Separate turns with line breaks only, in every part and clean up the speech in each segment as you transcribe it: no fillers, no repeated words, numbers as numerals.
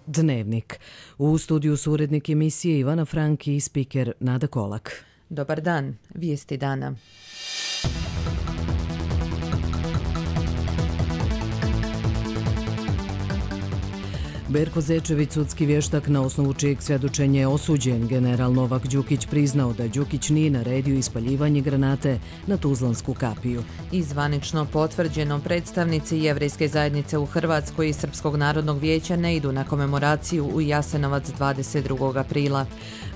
Dnevnik. U studiju su urednik emisije Ivana Franki i spiker Nada Kolak.
Dobar dan, vijesti dana.
Berko Zečević, sudski vještak na osnovu čijeg svjedočenja je osuđen, general Novak Đukić priznao da Đukić nije naredio ispaljivanje granate na Tuzlansku kapiju.
I zvanično potvrđeno, predstavnici Jevrejske zajednice u Hrvatskoj i Srpskog narodnog vijeća ne idu na komemoraciju u Jasenovac 22. aprila.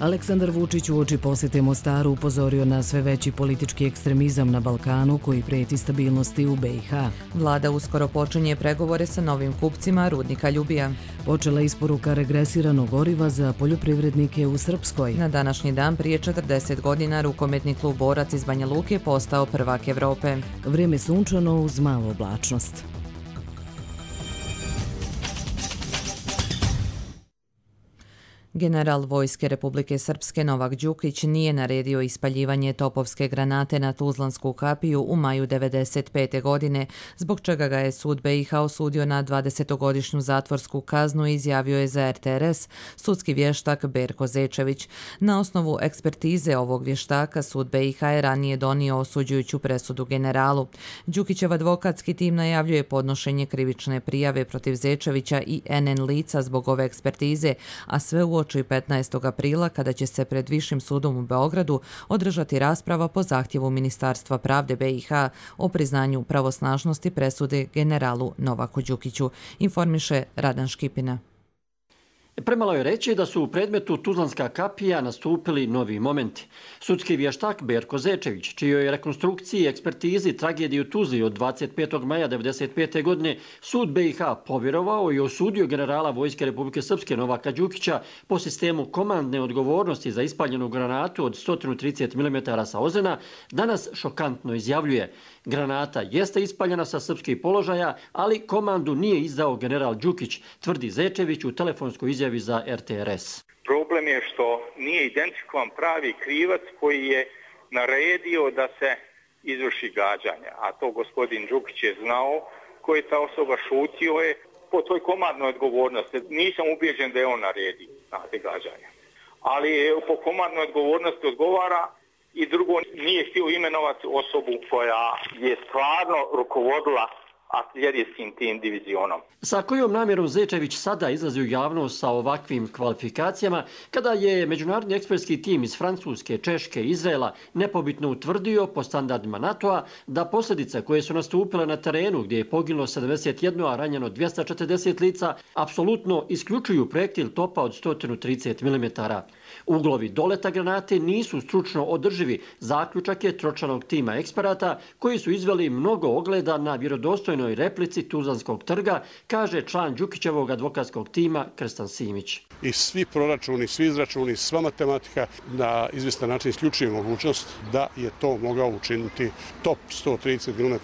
Aleksandar Vučić uoči posjete Mostaru upozorio na sve veći politički ekstremizam na Balkanu koji prijeti stabilnosti u BiH.
Vlada uskoro počinje pregovore sa novim kupcima rudnika Ljubija.
Počela isporuka regresiranog goriva za poljoprivrednike u Srpskoj.
Na današnji dan prije 40 godina rukometni klub Borac iz Banja Luke postao prvak Evrope.
Vrijeme sunčano uz malu oblačnost.
General Vojske Republike Srpske Novak Đukić nije naredio ispaljivanje topovske granate na Tuzlansku kapiju u maju 1995. godine, zbog čega ga je sud BiH osudio na 20-godišnju zatvorsku kaznu, izjavio je za RTRS sudski vještak Berko Zečević. Na osnovu ekspertize ovog vještaka sud BiH je ranije donio osuđujuću presudu generalu. Đukićev advokatski tim najavljuje podnošenje krivične prijave protiv Zečevića i NN lica zbog ove ekspertize, a sve uoči 15. aprila kada će se pred Višim sudom u Beogradu održati rasprava po zahtjevu Ministarstva pravde BiH o priznanju pravosnažnosti presude generalu Novaku Đukiću, informiše Radan Škipina.
Premalo je reći da su u predmetu Tuzlanska kapija nastupili novi momenti. Sudski vještak Berko Zečević, čijoj rekonstrukciji i ekspertizi tragediju u Tuzli od 25. maja 1995. godine sud BiH povjerovao i osudio generala Vojske Republike Srpske Novaka Đukića po sistemu komandne odgovornosti za ispaljenu granatu od 130 mm sa Ozena, danas šokantno izjavljuje: granata jeste ispaljena sa srpskih položaja, ali komandu nije izdao general Đukić, tvrdi Zečević u telefonskoj izjavi za RTRS.
Problem je što nije identifikovan pravi krivac koji je naredio da se izvrši gađanje, a to gospodin Đukić je znao, koji ta osoba šutio je po toj komandnoj odgovornosti. Nisam ubijeđen da je on naredio gađanje, ali po komandnoj odgovornosti odgovara. I drugo, nije htio imenovati osobu koja je stvarno rukovodila artiljerijskim tim divizionom.
Sa kojom namjerom Zečević sada izlazi u javnost sa ovakvim kvalifikacijama, kada je međunarodni ekspertski tim iz Francuske, Češke i Izraela nepobitno utvrdio po standardima NATO-a da posljedice koje su nastupile na terenu gdje je poginulo 71, a ranjeno 240 lica, apsolutno isključuju projektil topa od 130 mm. Uglovi doleta granate nisu stručno održivi, zaključak je tročlanog tima eksperata koji su izveli mnogo ogleda na vjerodostojnoj replici Tuzlanskog trga, kaže član Đukićevog advokatskog tima Krstan Simić.
I svi proračuni, svi izračuni, sva matematika na izvjestan način isključuje mogućnost da je to mogao učiniti top 130 mm,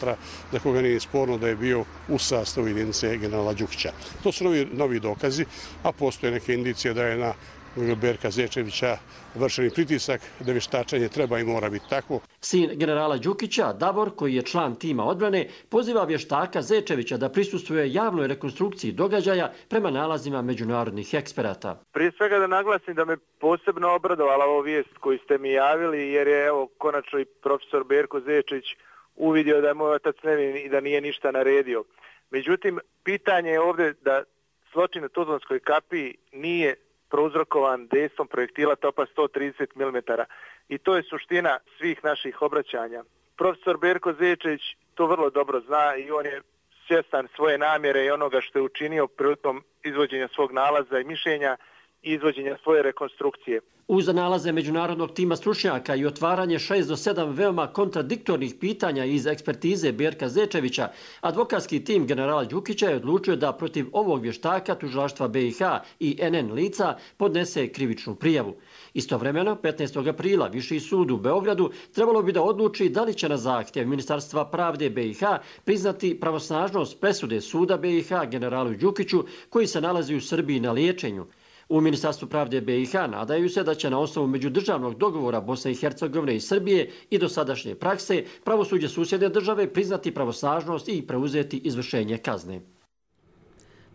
za koga nije sporno da je bio u sastavu jedinice generala Đukića. To su novi dokazi, a postoje neke indicije da je na Berka Zečevića vršeni pritisak, da vještačenje treba i mora biti takvo.
Sin generala Đukića, Davor, koji je član tima odbrane, poziva vještaka Zečevića da prisustvuje javnoj rekonstrukciji događaja prema nalazima međunarodnih eksperata.
Prije svega da naglasim da me posebno obradovala ovo vijest koju ste mi javili, jer je konačno i profesor Berko Zečević uvidio da je moj otac nevin i da nije ništa naredio. Međutim, pitanje je ovdje da zločin u Tuzlanskoj kapiji nije prouzrokovan dejstvom projektila topa 130 mm. I to je suština svih naših obraćanja. Profesor Berko Zečević to vrlo dobro zna i on je svjestan svoje namjere i onoga što je učinio prilikom izvođenja svog nalaza i mišljenja i izvođenja svoje rekonstrukcije.
Uz nalaze međunarodnog tima stručnjaka i otvaranje 6 do 7 veoma kontradiktornih pitanja iz ekspertize Berka Zečevića, advokatski tim generala Đukića je odlučio da protiv ovog vještaka tužilaštva BiH i NN lica podnese krivičnu prijavu. Istovremeno, 15. aprila Viši sud u Beogradu trebalo bi da odluči da li će na zahtjev Ministarstva pravde BiH priznati pravosnažnost presude suda BiH generalu Đukiću koji se nalazi u Srbiji na liječenju. U Ministarstvu pravde BiH nadaju se da će na osnovu međudržavnog dogovora Bosne i Hercegovine i Srbije i dosadašnje prakse pravosuđe susjedne države priznati pravosnažnost i preuzeti izvršenje kazne.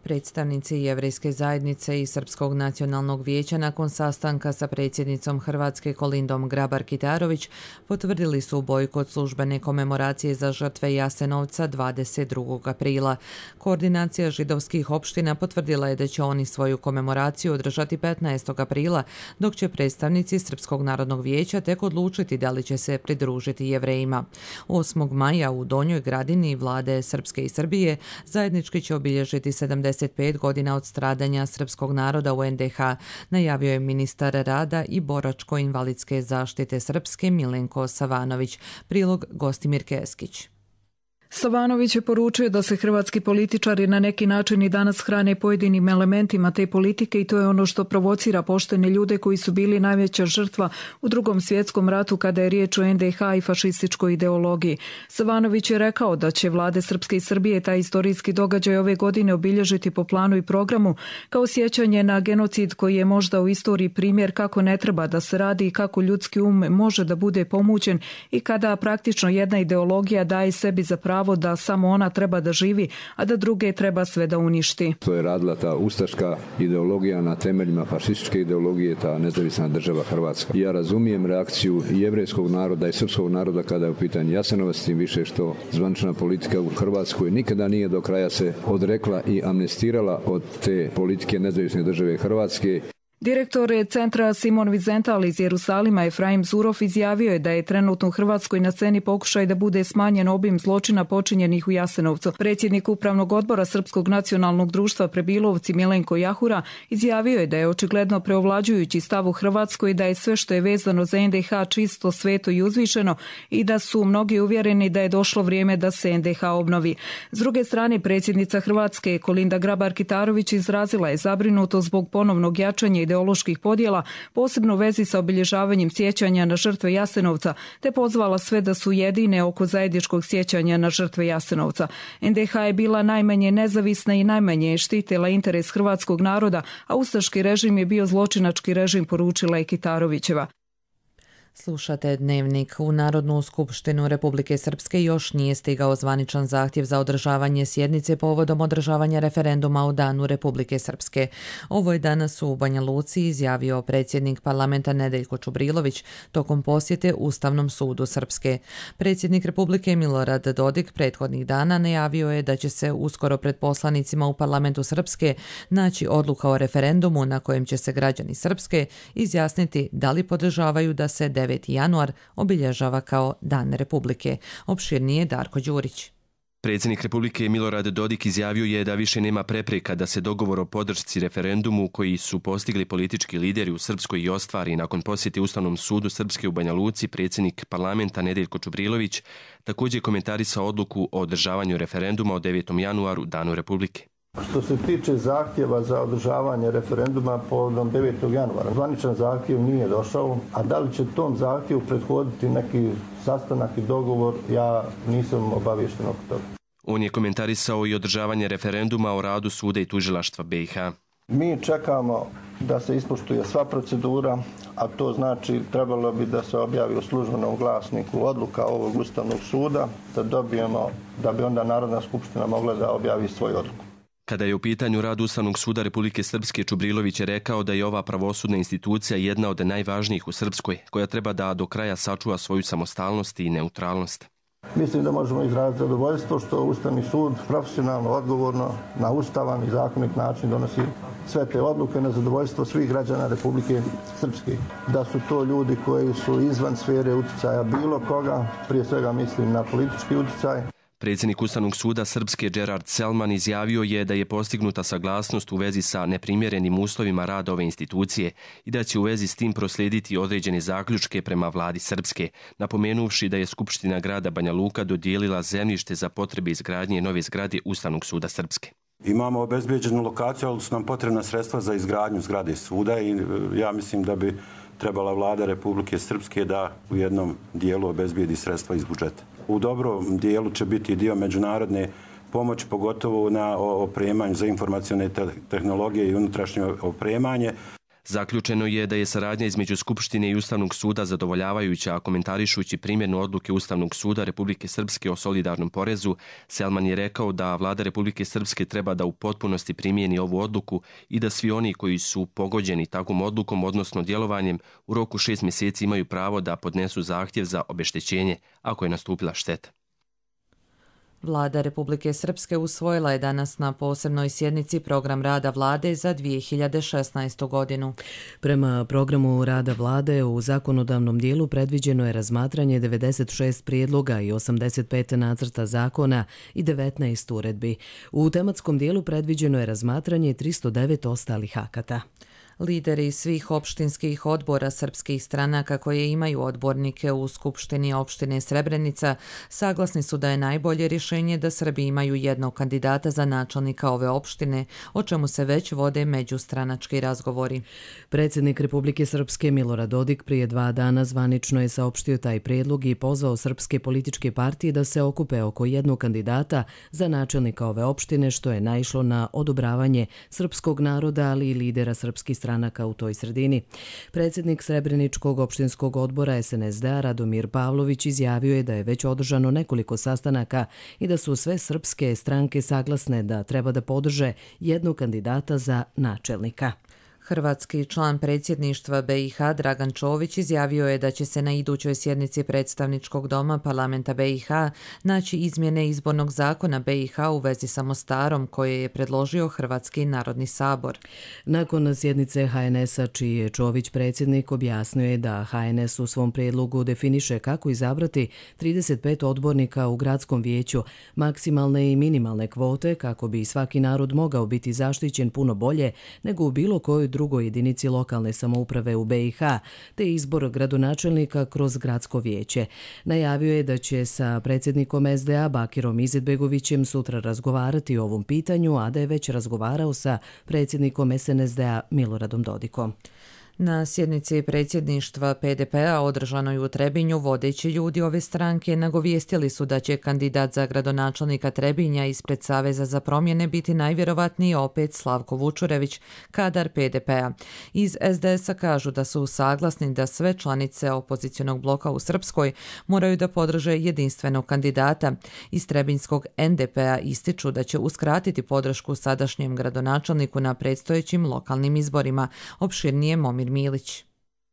Predstavnici Jevrejske zajednice i Srpskog nacionalnog vijeća nakon sastanka sa predsjednicom Hrvatske Kolindom Grabar-Kitarović potvrdili su bojkot službene komemoracije za žrtve Jasenovca 22. aprila. Koordinacija židovskih opština potvrdila je da će oni svoju komemoraciju održati 15. aprila, dok će predstavnici Srpskog narodnog vijeća tek odlučiti da li će se pridružiti Jevrejima. 8. maja u Donjoj Gradini vlade Srpske i Srbije zajednički će obilježiti 75 godina od stradanja srpskog naroda u NDH, najavio je ministar rada i boračko-invalidske zaštite Srpske Milenko Savanović. Prilog Gostimir Keskić.
Savanović je poručio da se hrvatski političari na neki način i danas hrane pojedinim elementima te politike i to je ono što provocira poštene ljude koji su bili najveća žrtva u Drugom svjetskom ratu kada je riječ o NDH i fašističkoj ideologiji. Savanović je rekao da će vlade Srpske i Srbije taj istorijski događaj ove godine obilježiti po planu i programu kao sjećanje na genocid koji je možda u istoriji primjer kako ne treba da se radi i kako ljudski um može da bude pomućen i kada praktično jedna ideologija daje sebi za pravo da samo ona treba da živi, a da druge treba sve da uništi.
To je radila ta ustaška ideologija na temeljima fašističke ideologije, ta nezavisna država Hrvatska. Ja razumijem reakciju i jevrejskog naroda i srpskog naroda kada je u pitanju Jasenovac, tim više što zvanična politika u Hrvatskoj nikada nije do kraja se odrekla i amnestirala od te politike nezavisne države Hrvatske.
Direktor centra Simon Wiesenthal iz Jerusalima Efraim Zurov izjavio je da je trenutno u Hrvatskoj na sceni pokušaj da bude smanjen obim zločina počinjenih u Jasenovcu. Predsjednik Upravnog odbora Srpskog nacionalnog društva Prebilovci Milenko Jahura izjavio je da je očigledno preovlađujući stav u Hrvatskoj da je sve što je vezano za NDH čisto, sveto i uzvišeno i da su mnogi uvjereni da je došlo vrijeme da se NDH obnovi. S druge strane, predsjednica Hrvatske Kolinda Grabar-Kitarović izrazila je zabrinutost zbog ponovnog jačanja ideoloških podjela, posebno u vezi sa obilježavanjem sjećanja na žrtve Jasenovca, te pozvala sve da su jedine oko zajedničkog sjećanja na žrtve Jasenovca. NDH je bila najmanje nezavisna i najmanje je štitila interes hrvatskog naroda, a ustaški režim je bio zločinački režim, poručila je Kitarovićeva.
Slušate Dnevnik. U Narodnu skupštinu Republike Srpske još nije stigao zvaničan zahtjev za održavanje sjednice povodom održavanja referenduma u Danu Republike Srpske. Ovo je danas u Banja Luci izjavio predsjednik parlamenta Nedeljko Čubrilović tokom posjete Ustavnom sudu Srpske. Predsjednik Republike Milorad Dodik prethodnih dana najavio je da će se uskoro pred poslanicima u parlamentu Srpske naći odluka o referendumu na kojem će se građani Srpske izjasniti da li podržavaju da se 9. januar obilježava kao Dan Republike. Opširnije Darko Đurić.
Predsjednik Republike Milorad Dodik izjavio je da više nema prepreka da se dogovor o podršci referendumu koji su postigli politički lideri u Srpskoj i ostvari nakon posjete Ustavnom sudu Srpske u Banja Luci. Predsjednik parlamenta Nedeljko Čubrilović također komentarisao odluku o održavanju referenduma o 9. januaru, Danu Republike.
Što se tiče zahtjeva za održavanje referenduma povodom 9. januara, zvaničan zahtjev nije došao, a da li će tom zahtjevu prethoditi neki sastanak i dogovor, ja nisam obaviješten oko toga.
On je komentarisao i održavanje referenduma o radu suda i tužilaštva BiH.
Mi čekamo da se ispoštuje sva procedura, a to znači trebalo bi da se objavi u službenom glasniku odluka ovog Ustavnog suda, da dobijemo, da bi onda Narodna skupština mogla da objavi svoju odluku.
Kada je u pitanju rad Ustavnog suda Republike Srpske, Čubrilović je rekao da je ova pravosudna institucija jedna od najvažnijih u Srpskoj, koja treba da do kraja sačuva svoju samostalnost i neutralnost.
Mislim da možemo izraziti zadovoljstvo što Ustavni sud profesionalno, odgovorno, na ustavan i zakonit način donosi sve te odluke na zadovoljstvo svih građana Republike Srpske. Da su to ljudi koji su izvan sfere utjecaja bilo koga, prije svega mislim na politički utjecaj.
Predsjednik Ustavnog suda Srpske Gerard Selman izjavio je da je postignuta saglasnost u vezi sa neprimjerenim uslovima rada ove institucije i da će u vezi s tim proslijediti određene zaključke prema vladi Srpske, napomenuvši da je Skupština grada Banja Luka dodijelila zemljište za potrebe izgradnje nove zgrade Ustavnog suda Srpske.
Imamo obezbeđenu lokaciju, ali su nam potrebna sredstva za izgradnju zgrade suda i ja mislim da bi trebala vlada Republike Srpske da u jednom dijelu obezbijedi sredstva iz budžeta. U dobrom dijelu će biti dio međunarodne pomoći, pogotovo na opremanju za informacione tehnologije i unutrašnje opremanje.
Zaključeno je da je saradnja između Skupštine i Ustavnog suda zadovoljavajuća, a komentarišući primjenu odluke Ustavnog suda Republike Srpske o solidarnom porezu, Selman je rekao da vlada Republike Srpske treba da u potpunosti primijeni ovu odluku i da svi oni koji su pogođeni takvom odlukom, odnosno djelovanjem, u roku 6 mjeseci imaju pravo da podnesu zahtjev za obeštećenje ako je nastupila šteta.
Vlada Republike Srpske usvojila je danas na posebnoj sjednici program rada vlade za 2016. godinu.
Prema programu rada vlade u zakonodavnom dijelu predviđeno je razmatranje 96 prijedloga i 85 nacrta zakona i 19 uredbi. U tematskom dijelu predviđeno je razmatranje 309 ostalih akata.
Lideri svih opštinskih odbora srpskih stranaka koje imaju odbornike u Skupštini opštine Srebrenica saglasni su da je najbolje rješenje da Srbi imaju jednog kandidata za načelnika ove opštine, o čemu se već vode međustranački razgovori.
Predsjednik Republike Srpske Milorad Dodik prije 2 dana zvanično je saopštio taj prijedlog i pozvao srpske političke partije da se okupe oko jednog kandidata za načelnika ove opštine, što je naišlo na odobravanje srpskog naroda, ali i lidera srpskih stranaka u toj sredini. Predsjednik Srebreničkog opštinskog odbora SNSD-a Radomir Pavlović izjavio je da je već održano nekoliko sastanaka i da su sve srpske stranke saglasne da treba da podrže jednog kandidata za načelnika.
Hrvatski član predsjedništva BiH Dragan Čović izjavio je da će se na idućoj sjednici predstavničkog doma parlamenta BiH naći izmjene izbornog zakona BiH u vezi sa Mostarom koje je predložio Hrvatski narodni sabor.
Nakon sjednice HNS-a, čiji je Čović predsjednik, objasnio je da HNS u svom prijedlogu definiše kako izabrati 35 odbornika u gradskom vijeću, maksimalne i minimalne kvote kako bi svaki narod mogao biti zaštićen puno bolje nego u bilo kojoj drugoj jedinici lokalne samouprave u BiH, te izbor gradonačelnika kroz gradsko vijeće. Najavio je da će sa predsjednikom SDA Bakirom Izetbegovićem sutra razgovarati o ovom pitanju, a da je već razgovarao sa predsjednikom SNSD-a Miloradom Dodikom.
Na sjednici predsjedništva PDP-a održanoj u Trebinju vodeći ljudi ove stranke nagovijestili su da će kandidat za gradonačelnika Trebinja ispred Saveza za promjene biti najvjerovatniji opet Slavko Vučurević, kadar PDP-a. Iz SDS-a kažu da su saglasni da sve članice opozicionog bloka u Srpskoj moraju da podrže jedinstvenog kandidata. Iz Trebinjskog NDP-a ističu da će uskratiti podršku sadašnjem gradonačelniku na predstojećim lokalnim izborima. Opširnije Momir Milić.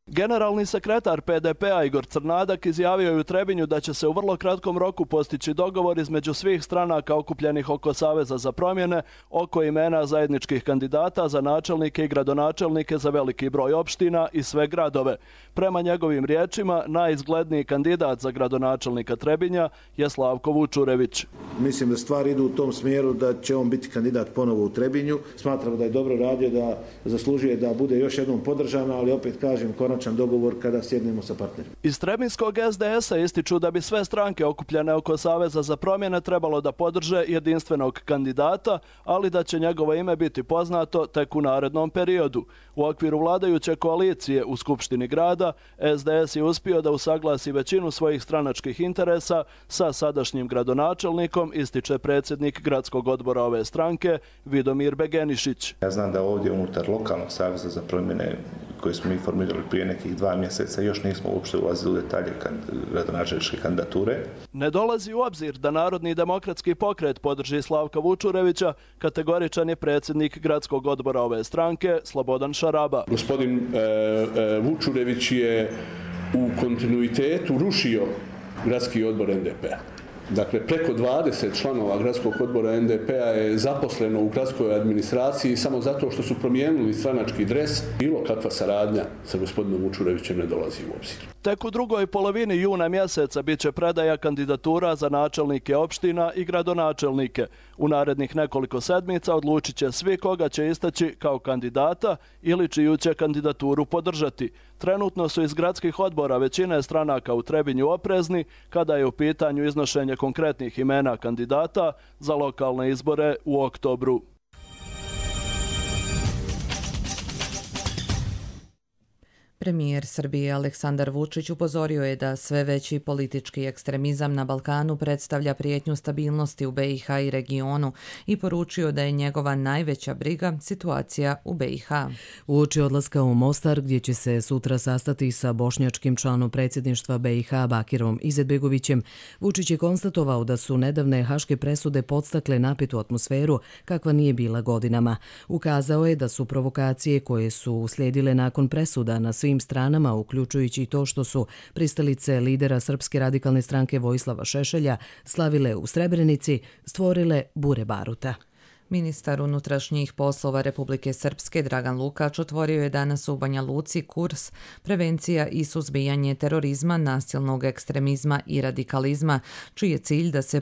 Generalni sekretar PDP-a Igor Crnadak izjavio je u Trebinju da će se u vrlo kratkom roku postići dogovor između svih stranaka okupljenih oko Saveza za promjene oko imena zajedničkih kandidata za načelnike i gradonačelnike za veliki broj opština i sve gradove. Prema njegovim riječima, najizgledniji kandidat za gradonačelnika Trebinja je Slavko Vučurević.
Mislim da stvari idu u tom smjeru da će on biti kandidat ponovo u Trebinju. Smatramo da je dobro radio, da zaslužuje da bude još jednom podržan, ali opet kažem konačan dogovor kada sjednemo sa partnerima.
Iz Trebinjskog SDS-a ističu da bi sve stranke okupljene oko Saveza za promjene trebalo da podrže jedinstvenog kandidata, ali da će njegovo ime biti poznato tek u narednom periodu. U okviru vladajuće koalicije u Skupštini grada SDS je uspio da usaglasi većinu svojih stranačkih interesa sa sadašnjim gradonačelnikom, ističe predsjednik gradskog odbora ove stranke Vidomir Begenišić.
Ja znam da ovdje unutar lokalnog Saveza za promjene koje smo mi formirali prije nekih 2 mjeseca još nismo uopšte ulazili u detalje gradonačelničke kandidature.
Ne dolazi u obzir da Narodni demokratski pokret podrži Slavka Vučurevića, kategoričan je predsjednik gradskog odbora ove stranke Slobodan Šaraba.
Gospodin Vučurević je u kontinuitetu rušio gradski odbor NDP-a. Dakle, preko 20 članova gradskog odbora NDP-a je zaposleno u gradskoj administraciji samo zato što su promijenili stranački dres. Bilo kakva saradnja sa gospodinom Vučurevićem ne dolazi u obzir.
Tek u drugoj polovini juna mjeseca bit će predaja kandidatura za načelnike opština i gradonačelnike. U narednih nekoliko sedmica odlučit će svi koga će istaći kao kandidata ili čiju će kandidaturu podržati. Trenutno su iz gradskih odbora većine stranaka u Trebinju oprezni kada je u pitanju iznošenje konkretnih imena kandidata za lokalne izbore u oktobru.
Premijer Srbije Aleksandar Vučić upozorio je da sve veći politički ekstremizam na Balkanu predstavlja prijetnju stabilnosti u BiH i regionu i poručio da je njegova najveća briga situacija u BiH.
Uoči odlaska u Mostar, gdje će se sutra sastati sa bošnjačkim članom predsjedništva BiH Bakirom Izetbegovićem, Vučić je konstatovao da su nedavne haške presude podstakle napetu atmosferu kakva nije bila godinama. Ukazao je da su provokacije koje su uslijedile nakon presuda na svim stranama, uključujući i to što su pristalice lidera Srpske radikalne stranke Vojislava Šešelja slavile u Srebrenici, stvorile bure baruta.
Ministar unutrašnjih poslova Republike Srpske Dragan Lukač otvorio je danas u Banja Luci kurs Prevencija i suzbijanje terorizma, nasilnog ekstremizma i radikalizma, čiji je cilj da se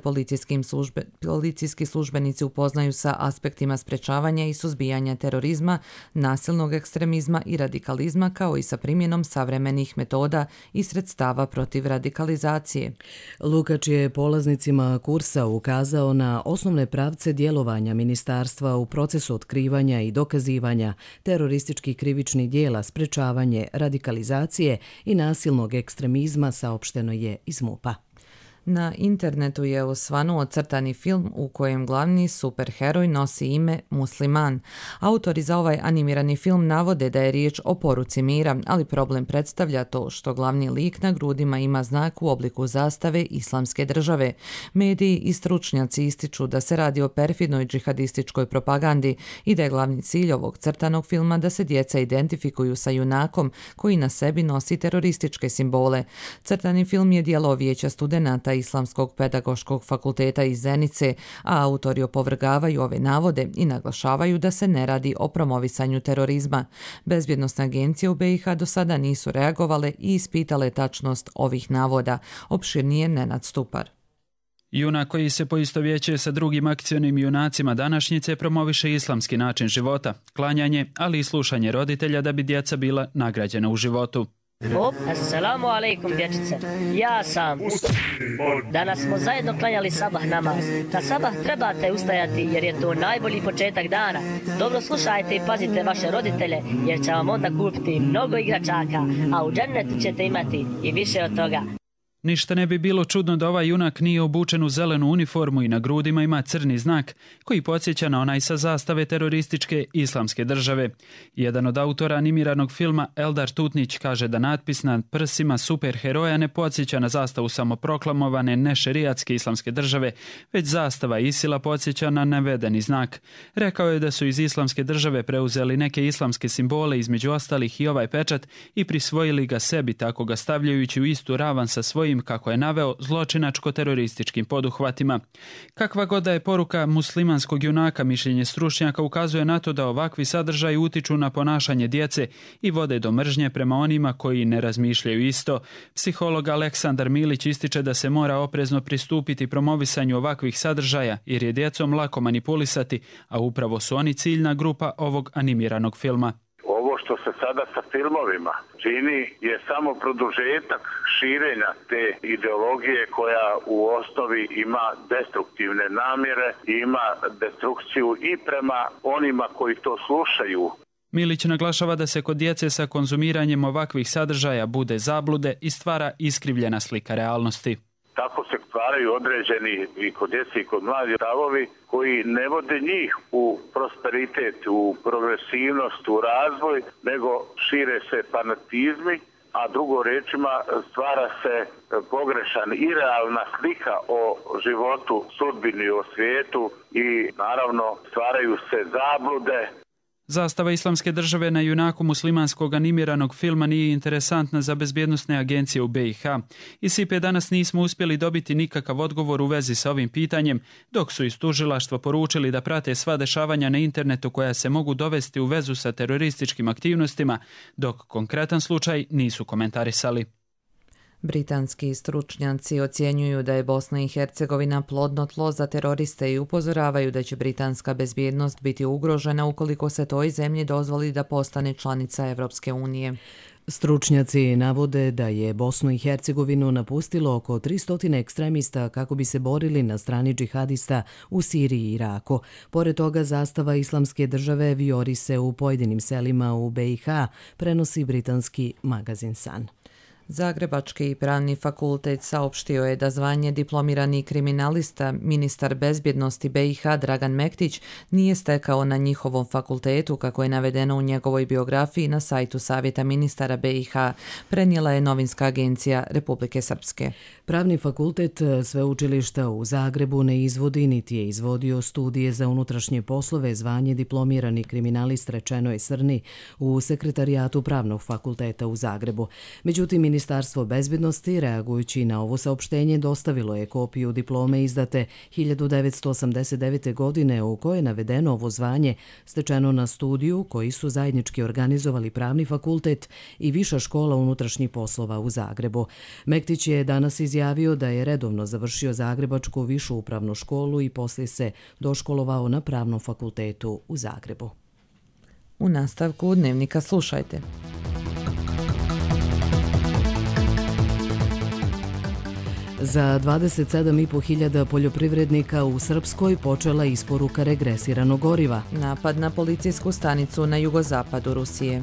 policijski službenici upoznaju sa aspektima sprečavanja i suzbijanja terorizma, nasilnog ekstremizma i radikalizma, kao i sa primjenom savremenih metoda i sredstava protiv radikalizacije.
Lukač je polaznicima kursa ukazao na osnovne pravce djelovanja ministarstva u procesu otkrivanja i dokazivanja terorističkih krivičnih dijela, sprečavanje radikalizacije i nasilnog ekstremizma, saopšteno je iz MUP-a.
Na internetu je osvanuo crtani film u kojem glavni superheroj nosi ime Musliman. Autori za ovaj animirani film navode da je riječ o poruci mira, ali problem predstavlja to što glavni lik na grudima ima znak u obliku zastave Islamske države. Mediji i stručnjaci ističu da se radi o perfidnoj džihadističkoj propagandi i da je glavni cilj ovog crtanog filma da se djeca identifikuju sa junakom koji na sebi nosi terorističke simbole. Crtani film je djelo Vijeća studenata Islamskog pedagoškog fakulteta iz Zenice, a autori opovrgavaju ove navode i naglašavaju da se ne radi o promovisanju terorizma. Bezbjednosne agencije u BiH do sada nisu reagovale i ispitale tačnost ovih navoda. Opširnije Nenad Stupar.
Junak koji se poistovjećuje sa drugim akcionim junacima današnjice promoviše islamski način života, klanjanje, ali i slušanje roditelja da bi djeca bila nagrađena u životu.
Assalamu alaikum, dječice. Ja sam. Danas smo zajedno klanjali sabah namaz. Na sabah trebate ustajati jer je to najbolji početak dana. Dobro slušajte i pazite vaše roditelje jer će vam onda kupiti mnogo igračaka, a u džennetu ćete imati i više od toga.
Ništa ne bi bilo čudno da ovaj junak nije obučen u zelenu uniformu i na grudima ima crni znak koji podsjeća na onaj sa zastave terorističke Islamske države. Jedan od autora animiranog filma, Eldar Tutnić, kaže da natpis na prsima superheroja ne podsjeća na zastavu samoproklamovane nešerijatske Islamske države, već zastava Isila podsjeća na navedeni znak. Rekao je da su iz Islamske države preuzeli neke islamske simbole, između ostalih i ovaj pečat, i prisvojili ga sebi, tako ga stavljajući u istu ravan sa svojim, kako je naveo, zločinačko-terorističkim poduhvatima. Kakva god da je poruka muslimanskog junaka, mišljenje stručnjaka ukazuje na to da ovakvi sadržaji utiču na ponašanje djece i vode do mržnje prema onima koji ne razmišljaju isto. Psiholog Aleksandar Milić ističe da se mora oprezno pristupiti promovisanju ovakvih sadržaja jer je djecom lako manipulisati, a upravo su oni ciljna grupa ovog animiranog filma.
Ovo što se sada sa filmovima čini je samo produžetak širenja te ideologije koja u osnovi ima destruktivne namjere i ima destrukciju i prema onima koji to slušaju.
Milić naglašava da se kod djece sa konzumiranjem ovakvih sadržaja bude zablude i stvara iskrivljena slika realnosti.
Tako se stvaraju određeni i kod djece i kod mladih stavovi koji ne vode njih u prosperitet, u progresivnost, u razvoj, nego šire se fanatizmi, a drugo rečima stvara se pogrešan i realna slika o životu, sudbini, o svijetu i naravno stvaraju se zablude.
Zastava Islamske države na junaku muslimanskog animiranog filma nije interesantna za bezbjednosne agencije u BiH. Iz SIPE danas nismo uspjeli dobiti nikakav odgovor u vezi sa ovim pitanjem, dok su iz tužilaštva poručili da prate sva dešavanja na internetu koja se mogu dovesti u vezu sa terorističkim aktivnostima, dok konkretan slučaj nisu komentarisali.
Britanski stručnjaci ocjenjuju da je Bosna i Hercegovina plodno tlo za teroriste i upozoravaju da će britanska bezbjednost biti ugrožena ukoliko se toj zemlji dozvoli da postane članica Evropske unije.
Stručnjaci navode da je Bosnu i Hercegovinu napustilo oko 300 ekstremista kako bi se borili na strani džihadista u Siriji i Iraku. Pored toga, zastava Islamske države vijori se u pojedinim selima u BiH, prenosi britanski magazin Sun.
Zagrebački pravni fakultet saopštio je da zvanje diplomirani kriminalista ministar bezbjednosti BiH Dragan Mektić nije stekao na njihovom fakultetu, kako je navedeno u njegovoj biografiji na sajtu Savjeta ministara BiH, prenijela je novinska agencija Republike Srpske.
Pravni fakultet sveučilišta u Zagrebu ne izvodi niti je izvodio studije za unutrašnje poslove zvanje diplomirani kriminalist, rečeno je Srni u sekretarijatu Pravnog fakulteta u Zagrebu. Međutim, Ministarstvo bezbjednosti, reagujući na ovo saopštenje, dostavilo je kopiju diplome izdate 1989. godine u kojoj je navedeno ovo zvanje stečeno na studiju koji su zajednički organizovali Pravni fakultet i Viša škola unutrašnjih poslova u Zagrebu. Mektić je danas izjavio da je redovno završio Zagrebačku višu upravnu školu i poslije se doškolovao na Pravnom fakultetu u Zagrebu.
U nastavku Dnevnika slušajte.
Za 27.500 poljoprivrednika u Srpskoj počela isporuka regresiranog goriva.
Napad na policijsku stanicu na jugozapadu Rusije.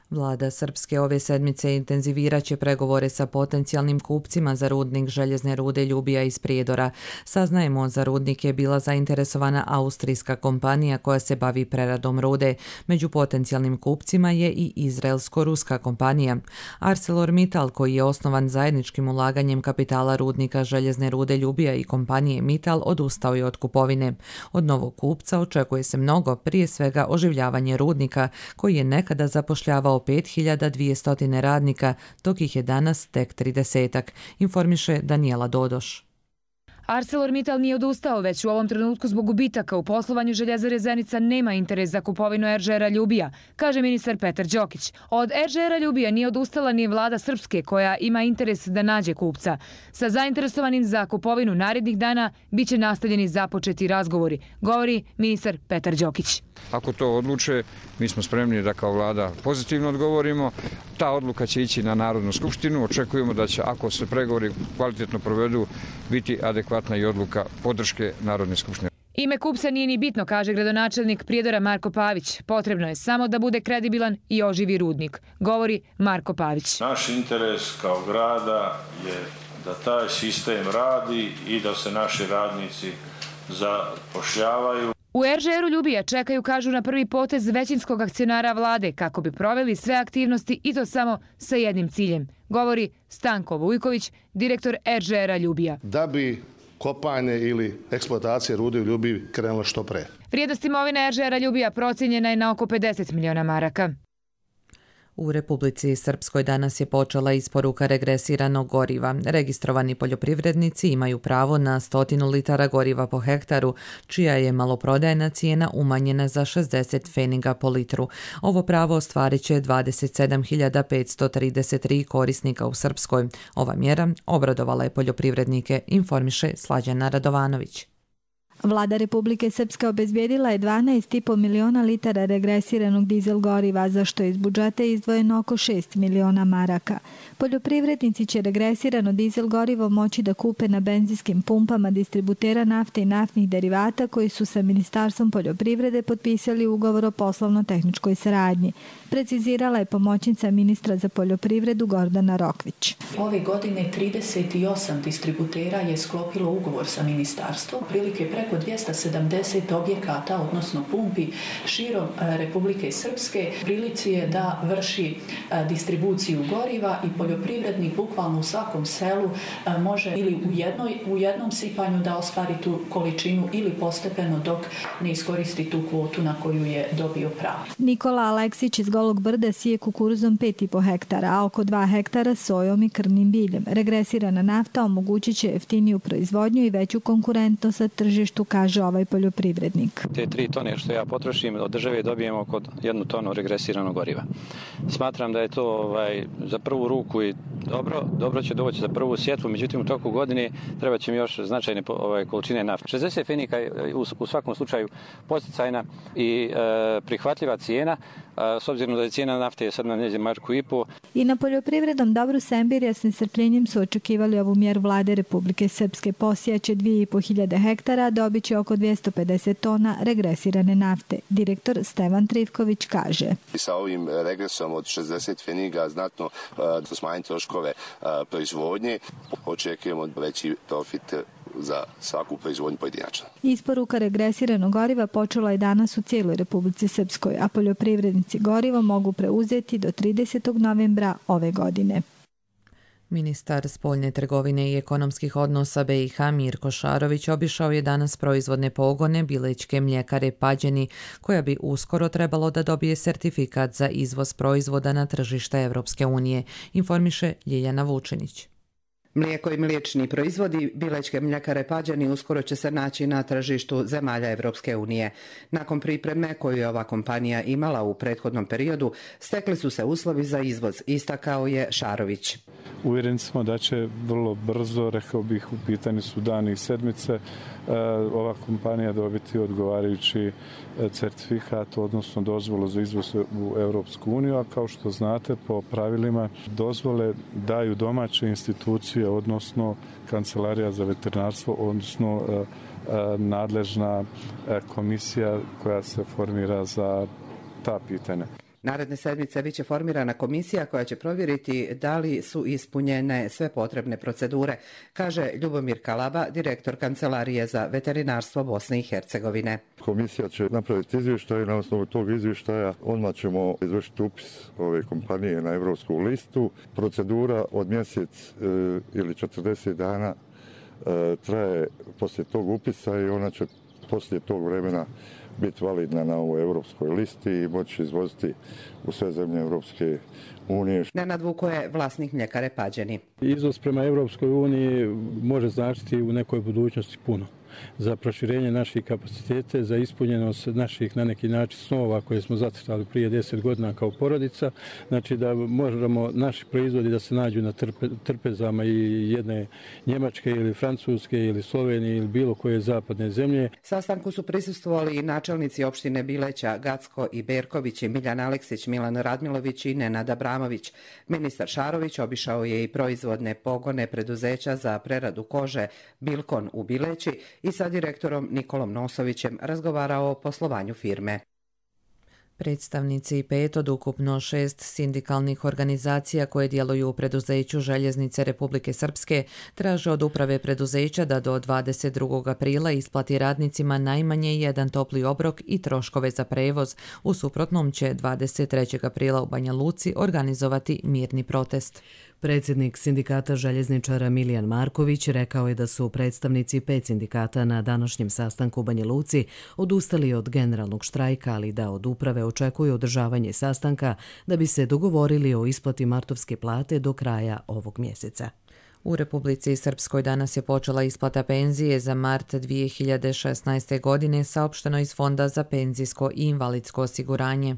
Vlada Srpske ove sedmice intenzivirat će pregovore sa potencijalnim kupcima za rudnik željezne rude Ljubija iz Prijedora. Saznajemo, za rudnik je bila zainteresovana austrijska kompanija koja se bavi preradom rude. Među potencijalnim kupcima je i izraelsko-ruska kompanija. ArcelorMittal, koji je osnovan zajedničkim ulaganjem kapitala rudnika željezne rude Ljubija i kompanije Mittal, odustao je od kupovine. Od novog kupca očekuje se mnogo, prije svega oživljavanje rudnika, koji je nekada zapošljavao 5200 radnika, dok ih je danas tek 30-ak, informiše Danijela Dodoš.
ArcelorMittal nije odustao, već u ovom trenutku zbog gubitaka u poslovanju Željezare Zenica nema interes za kupovinu RŽR-a Ljubija, kaže ministar Petar Đokić. Od RŽR-a Ljubija nije odustala ni vlada Srpske, koja ima interes da nađe kupca. Sa zainteresovanim za kupovinu narednih dana biće nastavljeni započeti razgovori, govori ministar Petar Đokić.
Ako to odluče, mi smo spremni da kao vlada pozitivno odgovorimo. Ta odluka će ići na Narodnu skupštinu. Očekujemo da će, ako se pregovori kvalitetno provedu, biti adekvatna i odluka podrške Narodne skupštine.
Ime kupca nije ni bitno, kaže gradonačelnik Prijedora Marko Pavić. Potrebno je samo da bude kredibilan i oživi rudnik, govori Marko Pavić.
Naš interes kao grada je da taj sistem radi i da se naši radnici zapošljavaju.
U RŽR-u Ljubija čekaju, kažu, na prvi potez većinskog akcionara vlade kako bi proveli sve aktivnosti i to samo sa jednim ciljem, govori Stanko Vujković, direktor RŽR-a Ljubija.
Da bi kopanje ili eksploatacija rude u Ljubiji krenula što pre.
Vrijednost imovine RŽR-a Ljubija procijenjena je na oko 50 miliona maraka.
U Republici Srpskoj danas je počela isporuka regresiranog goriva. Registrovani poljoprivrednici imaju pravo na 100 litara goriva po hektaru, čija je maloprodajna cijena umanjena za 60 pfeniga po litru. Ovo pravo ostvarit će 27.533 korisnika u Srpskoj. Ova mjera obradovala je poljoprivrednike, informiše Slađana Radovanović.
Vlada Republike Srpske obezbijedila je 12,5 miliona litara regresiranog dizel goriva, za što je iz budžeta izdvojeno oko 6 miliona maraka. Poljoprivrednici će regresirano dizel gorivo moći da kupe na benzinskim pumpama distributera nafte i naftnih derivata koji su sa Ministarstvom poljoprivrede potpisali ugovor o poslovno-tehničkoj saradnji. Precizirala je pomoćnica ministra za poljoprivredu Gordana Rokvić.
Ove godine 38 distributera je sklopilo ugovor sa ministarstvom, prilike preko 270 objekata, odnosno pumpi širom Republike Srpske. Prilici je da vrši distribuciju goriva i poljoprivrednik bukvalno u svakom selu može ili u jednom sipanju da ostvari tu količinu ili postepeno dok ne iskoristi tu kvotu na koju je dobio pravo.
Nikola Aleksić iz Golog Brda sije kukuruzom 5,5 hektara, a oko 2 hektara sojom i krvnim biljem. Regresirana nafta omogućit će jeftiniju proizvodnju i veću konkurentnost sa tržištu tržištu, kaže ovaj poljoprivrednik.
Te 3 tone što ja potrošim od države dobijemo oko 1 tonu regresiranog goriva. Smatram da je to za prvu ruku i dobro će doći za prvu sjetvu, međutim u toku godine treba će mi još značajne količine nafte. 60 fenika je u svakom slučaju posticajna i prihvatljiva cijena, s obzirom da je cijena nafte sad na negdje marku i po.
I na poljoprivrednom dobru Sembirja s nestrpljenjem su očekivali ovu mjeru vlade Republike Srpske. Posijaće 2.500 hektara, dobit će oko 250 tona regresirane nafte. Direktor Stevan Trivković kaže.
Sa ovim regresom od 60 feniga znatno smanjiti troškove proizvodnje. Očekujemo veći profit za svaku proizvodnju pojedinačno.
Isporuka regresiranog goriva počela je danas u cijeloj Republici Srpskoj, a poljoprivrednici gorivo mogu preuzeti do 30. novembra ove godine.
Ministar spoljne trgovine i ekonomskih odnosa BiH Mirko Šarović obišao je danas proizvodne pogone Bilečke mljekare Pađeni, koja bi uskoro trebalo da dobije sertifikat za izvoz proizvoda na tržište Evropske unije, informiše Ljiljana Vučenić.
Mlijeko i mliječni proizvodi Bilečke mljekare Pađeni uskoro će se naći na tržištu zemalja Evropske unije. Nakon pripreme koju je ova kompanija imala u prethodnom periodu, stekli su se uslovi za izvoz, istakao je Šarović.
Uvjereni smo da će vrlo brzo, rekao bih, u pitanju su dani i sedmice, ova kompanija dobiti odgovarajući certifikat, odnosno dozvolu za izvoz u Europsku uniju, a kao što znate, po pravilima dozvole daju domaće institucije, odnosno Kancelarija za veterinarstvo, odnosno nadležna komisija koja se formira za ta pitanja.
Naredne sedmice biće formirana komisija koja će provjeriti da li su ispunjene sve potrebne procedure, kaže Ljubomir Kalaba, direktor Kancelarije za veterinarstvo Bosne i Hercegovine.
Komisija će napraviti izvještaj i na osnovu tog izvještaja odmah ćemo izvršiti upis ove kompanije na evropsku listu. Procedura od mjesec ili 40 dana traje poslije tog upisa i ona će poslije tog vremena biti validna na ovoj evropskoj listi i moći izvoziti u sve zemlje Evropske unije.
Nenad Vuko je vlasnik mljekare Pađeni.
Izvoz prema Evropskoj uniji može značiti u nekoj budućnosti puno. Za proširenje naših kapacitete, za ispunjenost naših na neki način snova koje smo zacrtali prije 10 godina kao porodica, znači da možemo naši proizvodi da se nađu na trpezama i jedne Njemačke ili Francuske ili Slovenije ili bilo koje zapadne zemlje.
Sastanku su prisustvovali i načelnici opštine Bileća, Gacko i Berković, Miljan Aleksić, Milan Radmilović i Nenad Abramović. Ministar Šarović obišao je i proizvodne pogone preduzeća za preradu kože Bilkon u Bileći i sa direktorom Nikolom Nosovićem razgovarao o poslovanju firme.
Predstavnici 5 od ukupno 6 sindikalnih organizacija koje djeluju u preduzeću Željeznice Republike Srpske traže od uprave preduzeća da do 22. aprila isplati radnicima najmanje jedan topli obrok i troškove za prevoz. U suprotnom će 23. aprila u Banja Luci organizovati mirni protest.
Predsjednik sindikata željezničara Milijan Marković rekao je da su predstavnici 5 sindikata na današnjem sastanku u Banja Luci odustali od generalnog štrajka, ali da od uprave očekuju održavanje sastanka da bi se dogovorili o isplati martovske plate do kraja ovog mjeseca.
U Republici Srpskoj danas je počela isplata penzije za mart 2016. godine, saopšteno iz Fonda za penzijsko i invalidsko osiguranje.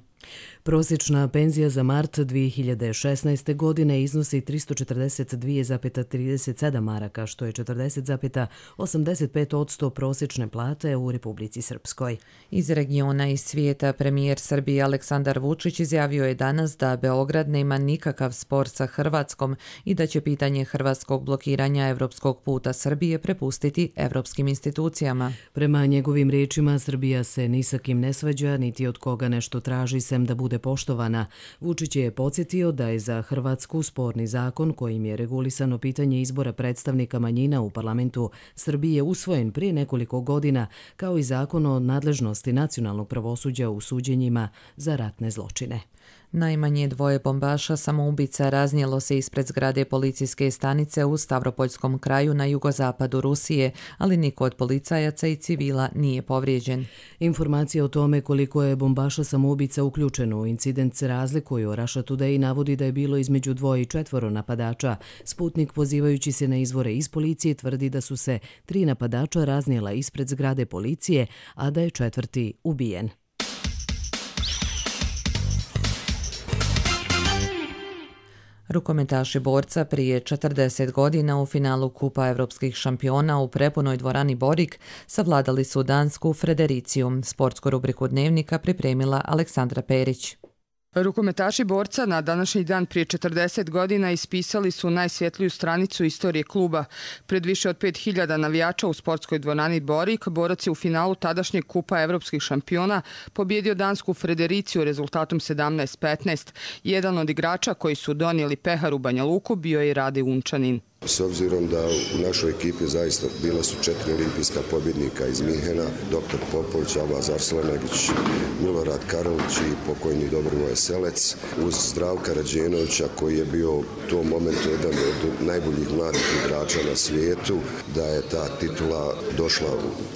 Prosječna penzija za mart 2016. godine iznosi 342,37 maraka, što je 40,85% prosječne plate u Republici Srpskoj.
Iz regiona i svijeta premijer Srbije Aleksandar Vučić izjavio je danas da Beograd nema nikakav spor sa Hrvatskom i da će pitanje hrvatskog blokiranja evropskog puta Srbije prepustiti evropskim institucijama.
Prema njegovim riječima, Srbija se ni sa kim ne svađa, niti od koga nešto traži sem da bude poštovana. Vučić je podsjetio da je za Hrvatsku sporni zakon kojim je regulisano pitanje izbora predstavnika manjina u parlamentu Srbije usvojen prije nekoliko godina, kao i zakon o nadležnosti nacionalnog pravosuđa u suđenjima za ratne zločine.
Najmanje 2 bombaša samoubica raznijelo se ispred zgrade policijske stanice u Stavropoljskom kraju na jugozapadu Rusije, ali niko od policajaca i civila nije povrijeđen.
Informacije o tome koliko je bombaša samoubica uključeno u incident se razlikuju. Russia Today navodi da je bilo između 2 i 4 napadača. Sputnik, pozivajući se na izvore iz policije, tvrdi da su se 3 napadača raznijela ispred zgrade policije, a da je 4. ubijen.
Rukometaši borca prije 40 godina u finalu Kupa evropskih šampiona u prepunoj dvorani Borik savladali su dansku Fredericiju. Sportsku rubriku Dnevnika pripremila Aleksandra Perić.
Rukometaši borca na današnji dan prije 40 godina ispisali su najsvjetliju stranicu istorije kluba. Pred više od 5000 navijača u sportskoj dvorani Borik, borac je u finalu tadašnjeg Kupa evropskih šampiona pobjedio dansku Fredericiju rezultatom 17-15. Jedan od igrača koji su donijeli pehar u Banja Luku bio je i Rade Unčanin.
S obzirom da u našoj ekipi zaista bila su 4 olimpijska pobjednika iz Minhena, dr. Popović, Alvaz Arslančić, Milorad Karlić i pokojni Dobrovoje Selec, uz Zdravka Rađenovića koji je bio u tom momentu jedan od najboljih mladih igrača na svijetu, da je ta titula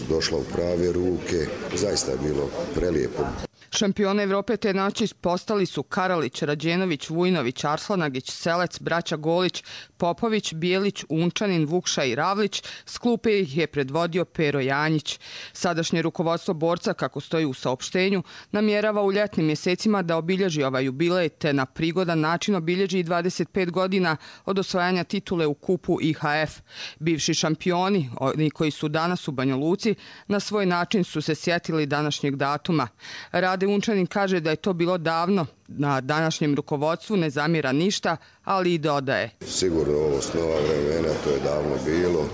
došla u prave ruke. Zaista je bilo prelijepo.
Šampione Evrope te noći postali su Karalić, Rađenović, Vujnović, Arslanagić, Selec, braća Golić, Popović, Bijelić, Unčanin, Vukša i Ravlić. S klupe ih je predvodio Pero Janjić. Sadašnje rukovodstvo borca, kako stoji u saopštenju, namjerava u ljetnim mjesecima da obilježi ovaj jubilej te na prigodan način obilježi i 25 godina od osvajanja titule u kupu IHF. Bivši šampioni, oni koji su danas u Banja Luci, na svoj način su se sjetili današnjeg datuma. Rade Unčanin kaže da je to bilo davno, na današnjem rukovodstvu ne zamjera ništa, ali i dodaje.
Sigurno ovo s nova vremena, to je davno bilo,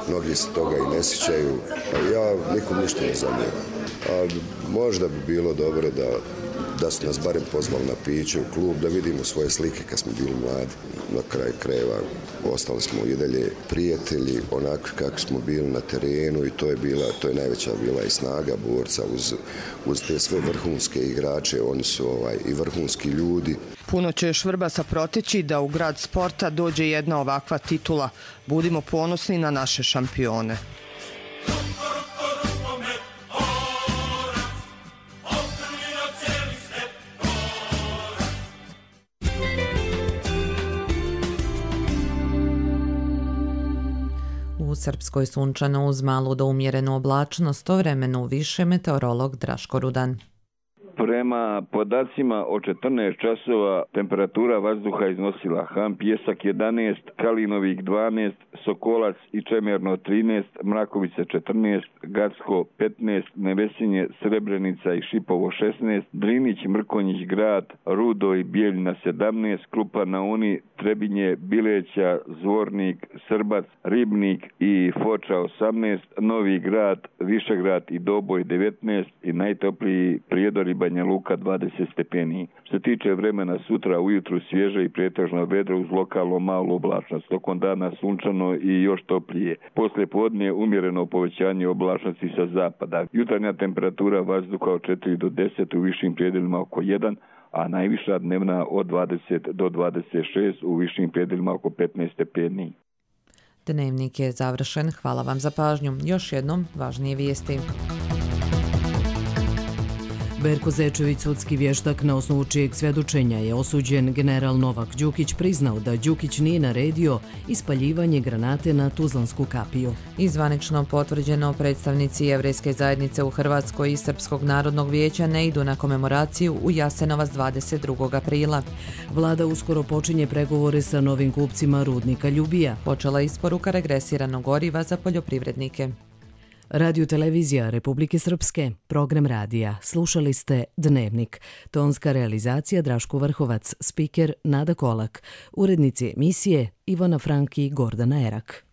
mnogi se toga i ne sjećaju, ja nikom ništa ne zamjeram. Ali možda bi bilo dobro da su nas barem pozvali na piće u klub, da vidimo svoje slike kad smo bili mladi. Na kraju krajeva ostali smo i dalje prijatelji, onako kako smo bili na terenu i to je najveća bila i snaga borca uz te sve vrhunske igrače, oni su i vrhunski ljudi.
Puno će još Vrbasa proteći da u grad sporta dođe jedna ovakva titula. Budimo ponosni na naše šampione.
U Srpskoj sunčano uz malu do umjerenu oblačnost, tovremeno više meteorolog Draško Rudan.
Prema podacima o 14 časova temperatura vazduha iznosila Han Pjesak 11, Kalinovik 12, Sokolac i Čemerno 13, Mrakovica 14, Gacko 15, Nevesinje, Srebrenica i Šipovo 16, Drinić, Mrkonjić Grad, Rudo i Bijeljina 17, Krupa na Uni, Trebinje, Bileća, Zvornik, Srbac, Ribnik i Foča 18, Novi Grad, Višegrad i Doboj 19 i najtopliji Prijedor i Banja Luka 20 stepeni. Što se tiče vremena, sutra ujutru svježe i pretežno vedro uz lokalno malu oblačnost. Tokom dana sunčano i još toplije. Poslije podne umjereno povećanje oblačnosti sa zapada. Jutarnja temperatura vazduha od 4 do 10, u višim predjelima oko 1, a najviša dnevna od 20 do 26, u višim predjelima oko 15 stepeni.
Dnevnik je završen. Hvala vam za pažnju. Još jednom važnije vijesti.
Berko Zečević, sudski vještak na osnovu čijeg svjedočenja je osuđen, general Novak Đukić priznao da Đukić nije naredio ispaljivanje granate na Tuzlansku kapiju.
Zvanično potvrđeno, predstavnici Jevrejske zajednice u Hrvatskoj i Srpskog narodnog vijeća ne idu na komemoraciju u Jasenovac 22. aprila.
Vlada uskoro počinje pregovore sa novim kupcima rudnika Ljubija.
Počela isporuka regresiranog goriva za poljoprivrednike.
Radio televizija Republike Srpske, program radija. Slušali ste Dnevnik. Tonska realizacija Draško Vrhovac, spiker Nada Kolak, urednici emisije Ivana Franki i Gordana Erak.